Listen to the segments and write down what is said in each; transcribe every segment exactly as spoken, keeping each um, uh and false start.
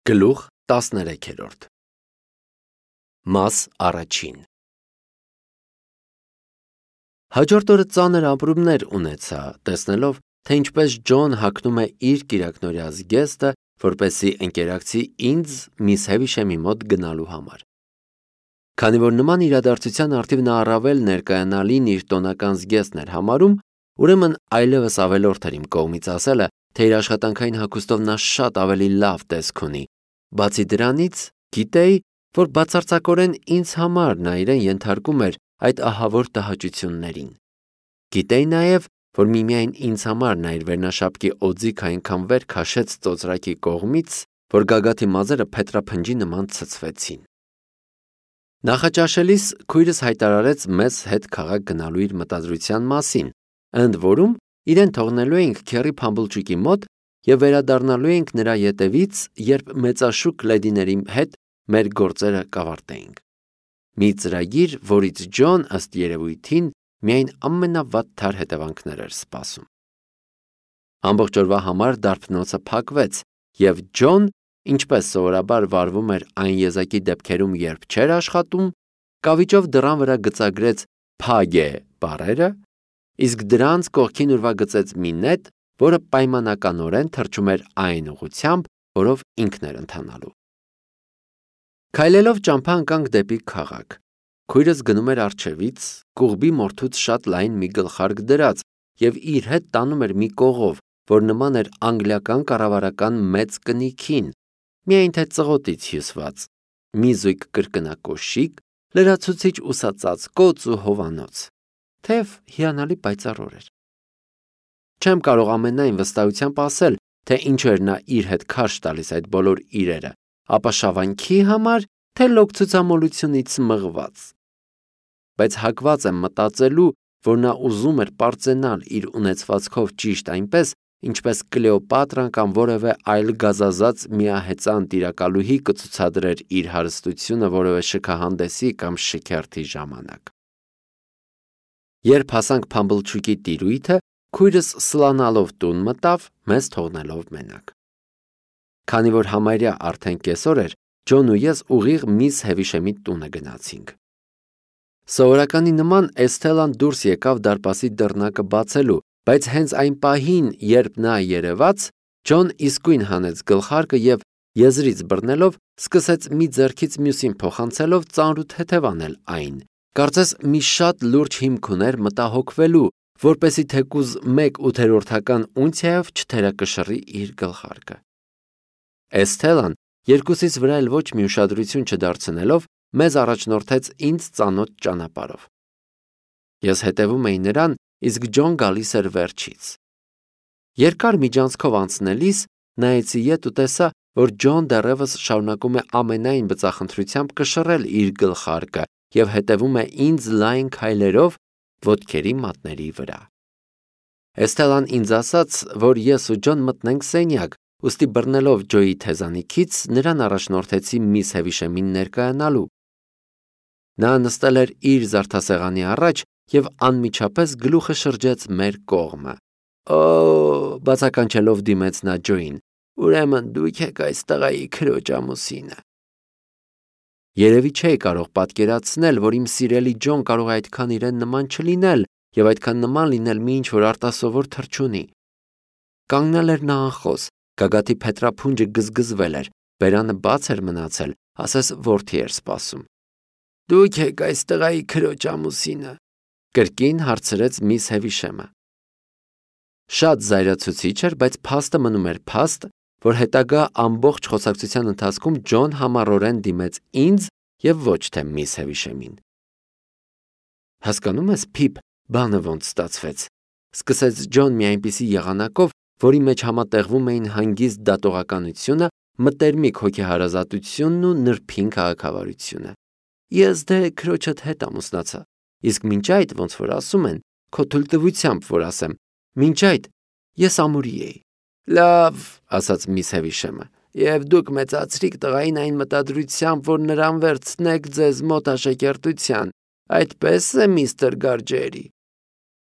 Գլուխ տասներեքերորդ Մաս առաջին Հաջորդ օրը ծանր ապրումներ ունեցա, տեսնելով, թե ինչպես Ջոն հագնում է իր կիրակնօրյա զգեստը, որպեսզի ընկերակցի ինձ միս Հևիշեմի մոտ գնալու համար։ Քանի որ նման իրադարձության առթիվ նա առավել ներկայանալին իր տոնական զգեստն էր համարում, ուրեմն այլևս ավելորդ էր իմ կողմից ասելը, թե իր աշխատանքային հագուստով նա շատ ավելի լավ տեսք ունի։ Բացի դրանից, գիտեի, որ բացարձակորեն ինձ համար նա իրեն ենթարկում էր այդ ահավոր տհաճություններին։ Գիտեի նաև, որ միմիայն ինձ համար նա իր վերնաշապկի օձիքը այնքան վեր քաշեց ծոծրակի կողմից, որ գագաթի մազերը փետրափնջի նման ցցվեցին։ Նախաճաշելիս քույրս հայտարարեց մեզ հետ քաղաք գնալու իր մտադրության մասին, ընդ որում իրեն թողնելու էինք քեռի Փամբլչուկի մոտ և վերադառնալու էինք նրա ետևից, երբ մեծաշուք լեդիների հետ մեր գործերը կավարտեինք։ Մի ծրագիր, որից Ջոն, ըստ երևույթին, միայն ամենավատթար հետևանքներ էր սպասում։ Ամբողջ օրվա համար դարբնոցը փակվեց, և Ջոն, ինչպես սովորաբար վարվում էր այն եզակի դեպքերում, երբ չէր աշխատում, կավիճով դռան վրա գծագրեց «Փագ է» բառերը, իսկ դրանց կողքին ուրվագծեց մի նետ, որը պայմանականորեն թռչում էր այն ուղղությամբ, որով ինքն էր ընթանալու։ Քայլելով ճամփա ընկանք դեպի քաղաք։ Քույրս գնում էր առջևից, կուղբի մորթուց շատ լայն մի գլխարկ դրած և իր հետ տանում էր մի կողով, որ նման էր անգլիական կառավարական մեծ կնիքին, միայն թե ծղոտից հյուսված, մի զույգ կրկնակոշիկ, լրացուցիչ ուսածածկոց ու հովանոց, թեև հիանալի պայծառ օր էր։ Չեմ կարող ամենայն վստահությամբ ասել, թե ինչու էր նա իր հետ քարշ տալիս այդ բոլոր իրերը, ապաշավանքի համար, թե լոկ ցուցամոլությունից մղված։ Բայց հակված եմ մտածելու, որ նա ուզում էր պարծենալ իր ունեցվածքով ճիշտ այնպես, ինչպես Կլեոպատրան կամ որևէ այլ գազազած միահեծան տիրակալուհի կցուցադրեր իր հարստությունը որևէ շքահանդեսի կամ շքերթի ժամանակ։ Երբ հասանք Փամբլչուկի տիրույթը, քույրս սլանալով տուն մտավ, մեզ թողնելով մենակ։ Քանի որ համարյա արդեն կեսօր էր, Ջոն ու ես ուղիղ միս Հևիշեմի տունը գնացինք։ Սովորականի նման Էսթելան դուրս եկավ դարպասի դռնակը բացելու, բայց հենց այն պահին, երբ նա երևաց, Ջոն իսկույն հանեց գլխարկը և, եզրից բռնելով, սկսեց մի ձեռքից մյուսին փոխանցելով ծանրութ հետևանել այն, կարծես մի շատ լուրջ հիմք ուներ մտահոգվելու, որպեսզի թեկուզ մեկ ութերորդական ունցիայով չթերակշռի իր գլխարկը։ Էսթելան, երկուսիս վրա էլ ոչ մի ուշադրություն չդարձնելով, մեզ առաջնորդեց ինձ ծանոթ ճանապարհով։ Ես հետևում էի նրան, իսկ Ջոն գալիս էր վերջից։ Երկար միջանցքով անցնելիս նայեցի ետ ու տեսա, որ Ջոն դեռևս շարունակում է ամենայն բծախնդրությամբ կշռել իր գլխարկը և հետևում է ինձ լայն քայլերով ոտքերի մատների վրա։ Էսթելան ինձ ասաց, որ ես ու Ջոն մտնենք սենյակ, ուստի բռնելով Ջոյի թեզանիքից նրան առաջնորդեցի միս Հևիշեմին ներկայանալու։ Նա նստել էր իր զարդասեղանի առաջ և անմիջապես գլուխը շրջեց մեր կողմը։ Օ, բացականչելով դիմեց նա Ջոյին, ուրեմն դուք եք այս տղայի քրոջ ամուսինը։ Երևի չէի կարող պատկերացնել, որ իմ սիրելի Ջոն կարող է այդքան իրեն նման չլինել և այդքան նման լինել մի ինչ-որ արտասովոր թռչունի։ Կանգնել էր նա անխոս, գագաթի փետրափունջը գզգզվել էր, բերանը բաց էր մնացել, ասես որդի էր սպասում։ Դուք եք այս տղայի քրոջ ամուսինը, կրկին հարցրեց միս Հևիշեմը։ Շատ զայրացուցիչ էր, բայց փաստը մնում էր փաստ, որ հետագա ամբողջ խոսակցության ընթացքում Ջոն համառորեն դիմեց ինձ և ոչ թե միս Հևիշեմին։ Հասկանում ես, Փիփ, բանը ոնց ստացվեց, սկսեց Ջոն մի այնպիսի եղանակով, որի մեջ համատեղվում էին հանգիստ դատողականությունը, մտերմիկ հոգեհարազատությունն ու նրբին քաղաքավարությունը։ Ես դե քրոջդ հետ ամուսնացա, իսկ մինչ այդ, ոնց որ ասում են, քո թույլտվությամբ, որ ասեմ, մինչ այդ ես ամուրի էի։ Լավ, ասաց միս Հևիշեմը, և դուք մեծացրիք տղային այն մտադրությամբ, որ նրան վերցնեք ձեզ մոտ աշակերտության, այդպես է, միստր Գարջերի։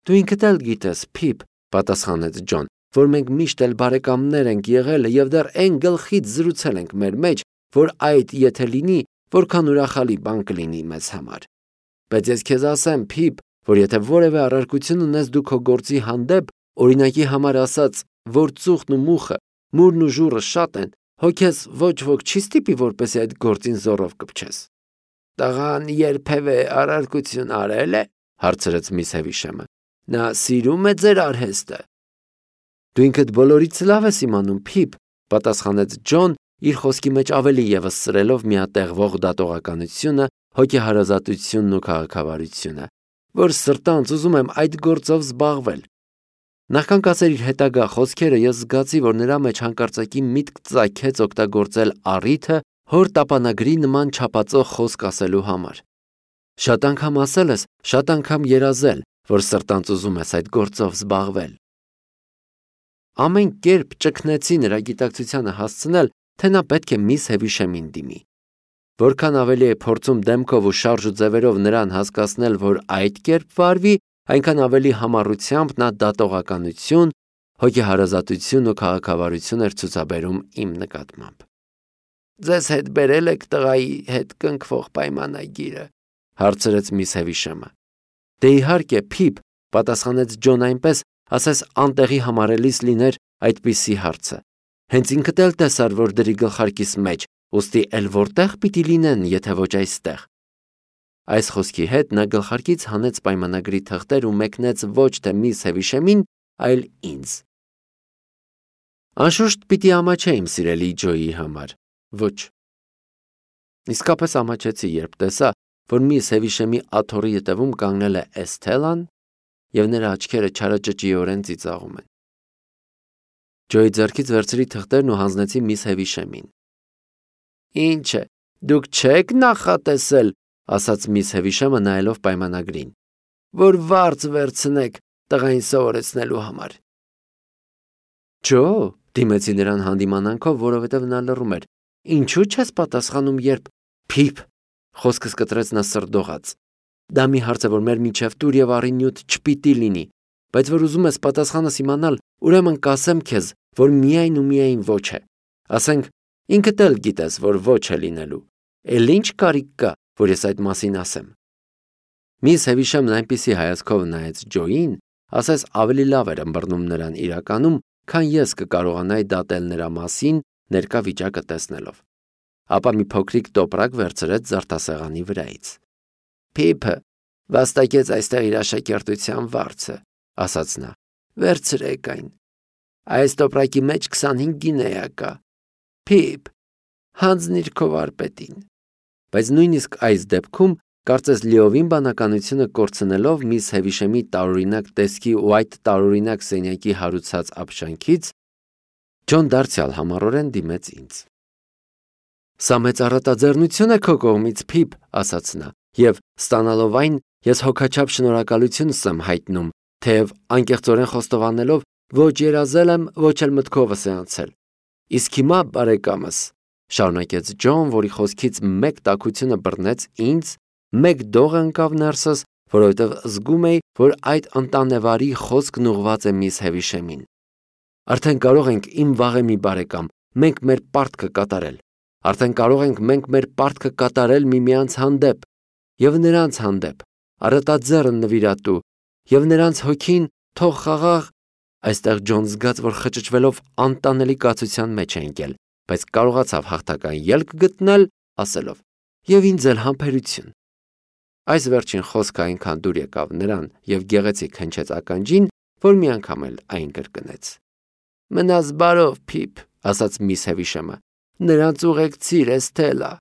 Դու ինքդ էլ գիտես, Փիփ, պատասխանեց Ջոն, որ մենք միշտ էլ բարեկամներ ենք եղել եւ դեռ այն գլխից զրուցել ենք մեր մեջ, որ այդ եթե լինի, որքան ուրախալի բան կլինի մեզ համար։ Բայց ես քեզ ասեմ, Փիփ, որ եթե որևէ առարկություն ունես դու քո գործի հանդեպ, օրինակի համար ասած, որ ծուխն ու մուխը, մուրն ու ժուռը շատ են, հո քեզ ոչ ոք չի ստիպի, որպեսզի այդ գործին զոռով կպչես։ Տղան երբևէ առարկություն արել է, հարցրեց միս Հևիշեմը։ Նա սիրում է ձեր արհեստը։ Դու ինքդ բոլորից լավ ես իմանում, Փիփ, պատասխանեց Ջոն, իր խոսքի մեջ ավելի ևս սրելով միատեղվող դատողականությունը, հոգեհարազատությունն ու քաղաքավարությունը, որ սրտանց ուզում եմ այդ գործով զբաղվել։ Նախքան կասեր իր հետագա խոսքերը, ես զգացի, որ նրա մեջ հանկարծակի միտք ծագեց օգտագործել առիթը հոր տապանագրի նման չափածող խոսք ասելու համար։ Շատ անգամ ասել ես, շատ անգամ երազել, որ սրտանց ուզում ես այդ գործով զբաղվել։ Ամեն կերպ ճգնեցի նրա գիտակցությանը հասցնել, թե նա պետք է միս Հևիշեմին դիմի։ Որքան ավելի է փորձում դեմքով ու շարժ ու ձևերով նրան հասկացնել, որ այդ կերպ վարվի, այնքան ավելի համառությամբ նա դատողականություն, հոգեհարազատություն ու քաղաքավարություն էր ցուցաբերում իմ նկատմամբ։ Ձեզ հետ բերել եք տղայի հետ կնքվող պայմանագիրը, հարցրեց միս Հևիշեմը։ Դե իհարկե, Փիփ, պատասխանեց Ջոն այնպես, ասես անտեղի համարելիս լիներ այդպիսի հարցը։ Հենց ինքդ էլ տեսար, որ դրի գլխարկիս մեջ, ուստի էլ որտեղ պիտի լինեն, եթե ոչ այստեղ։ Այս խոսքի հետ նա գլխարկից հանեց պայմանագրի թղթեր ու մեկնեց ոչ թե միս Հևիշեմին, այլ ինձ։ Անշուշտ պիտի ամաչե իմ սիրելի Ջոյի համար։ Ոչ։ Իսկապես ամաչեցի, երբ տեսա, որ միս Հևիշեմի աթոռի ետևում կանգնել է Էսթելան եւ նրա աչքերը չարաճճիորեն ծիծաղում են։ Ջոյի ձեռքից վերցրի թղթերն ու հանձնեցի միս Հևիշեմին։ Ինչ է, դուք չեք նախատեսել, ասաց միս Հևիշեմը նայելով պայմանագրին, որ վարձ վերցնեք տղային սովորեցնելու համար։ Ջո, դիմեցի նրան հանդիմանանքով, որովհետև նա լռում էր։ Ինչու չես պատասխանում, երբ Փիփ, խոսքս կտրեց նա սրդողաց։ Դա մի հարց է, որ մեր միջև տուր եւ առինյութ չպիտի լինի, բայց որ ուզում ես պատասխանս իմանալ, ուրեմն կասեմ քեզ, որ միայն ու միայն ոչ է։ Ասենք, ինքդ էլ գիտես, որ ոչ է լինելու։ Էլ ինչ կարիք կա, որ ես այդ մասին ասեմ։ Միս Հևիշեմն այնպիսի հայացքով նայեց Ջոյին, ասես ավելի լավ էր ըմբռնում նրան իրականում, քան ես կկարողանայի դատել նրա մասին ներկա վիճակը տեսնելով։ Ապա մի փոքրիկ տոպրակ վերցրեց զարդասեղանի վրայից։ Փիփը վաստակեց այստեղ իր աշակերտության վարձը, ասաց նա։ Վերցրեք այն։ Այս տոպրակի մեջ քսանհինգ գինեա կա։ Փիփ, հանձնիր քո վարպետին։ Բայց նույնիսկ այս դեպքում, կարծես լիովին բանականությունը կորցնելով միս Հևիշեմի տարօրինակ տեսքի ու այդ տարօրինակ սենյակի հարուցած ապշանքից, Ջոն դարձյալ համառորեն դիմեց ինձ։ Սա մեծ առատաձեռնություն է քո կողմից, Փիփ, ասաց նա, եւ ստանալով այն, ես հոգաչափ շնորհակալությունս եմ հայտնում, թեև անկեղծորեն խոստովանելով, ոչ երազել եմ, ոչ էլ մտքովս է անցել։ Իսկ հիմա, բարեկամս, շարունակեց Ջոն, որի խոսքից մեկ տաքությունը բռնեց ինձ, մեկ դող ընկավ ներսս, որովհետև զգում էի, որ այդ ընտանեվարի խոսքն ուղղված է միս Հևիշեմին։ Արդեն կարող ենք, իմ վաղեմի բարեկամ, մենք մեր պարտքը կատարել։ Արդեն կարող ենք մենք մեր պարտքը կատարել միմյանց հանդեպ եւ նրանց հանդեպ, առատաձեռն նվիրատու, եւ նրանց հոգին թող խաղաղ։ Այստեղ Ջոն զգաց, որ խճճվելով անտանելի կացության մեջ է ընկել, բայց կարողացավ հաղթական ելք գտնել, ասելով. Եվ ինձ էլ համբերություն։ Այս վերջին խոսքը այնքան դուր եկավ նրան եւ գեղեցիկ հնչեց ականջին, որ մի անգամ էլ այն կրկնեց։ Մնաս բարով, Փիփ, ասաց միս Հևիշեմը։ Նրանց ուղեկցիր Էսթելա։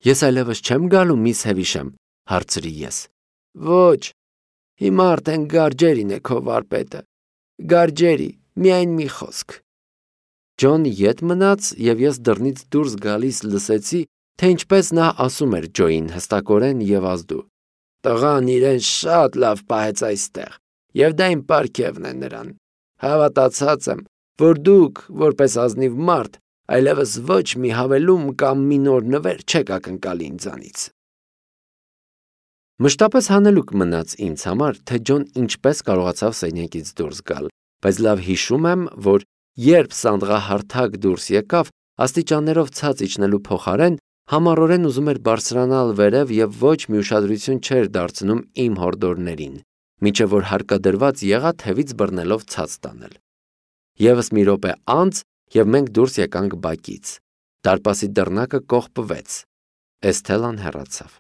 Ես այլևս չեմ գալու, միս Հևիշեմ, հարցրի ես։ Ոչ, հիմա արդեն Գարջերին է քո վարպետը։ Գարջերի, միայն մի խոսք։ Ջոն ետ մնաց եւ ես դռնից դուրս գալիս լսեցի, թե ինչպես նա ասում էր Ջոյին հստակորեն եւ ազդու։ Տղան իրեն շատ լավ պահեց այստեղ, եւ դա իմ պարգևն է նրան։ Հավատացած եմ, որ դուք, որպես ազնիվ մարդ, այլևս ոչ մի հավելում կամ մի նոր նվեր չեք ակնկալի ինձանից։ Մշտապես հանելուկ մնաց ինձ համար, թե Ջոն ինչպես կարողացավ սենյակից դուրս գալ, բայց լավ հիշում եմ, որ երբ սանդղահարթակ դուրս եկավ, աստիճաններով ցած իջնելու փոխարեն համառորեն ուզում էր բարձրանալ վերև և ոչ մի ուշադրություն չէր դարձնում իմ հորդորներին, մինչև որ հարկադրված եղա թևից բռնելով ցած տանել։ Եվս մի րոպե անց, և մենք դուրս եկանք բակից։ Դարպասի դռնակը կողպվեց։ Էսթելան հեռացավ։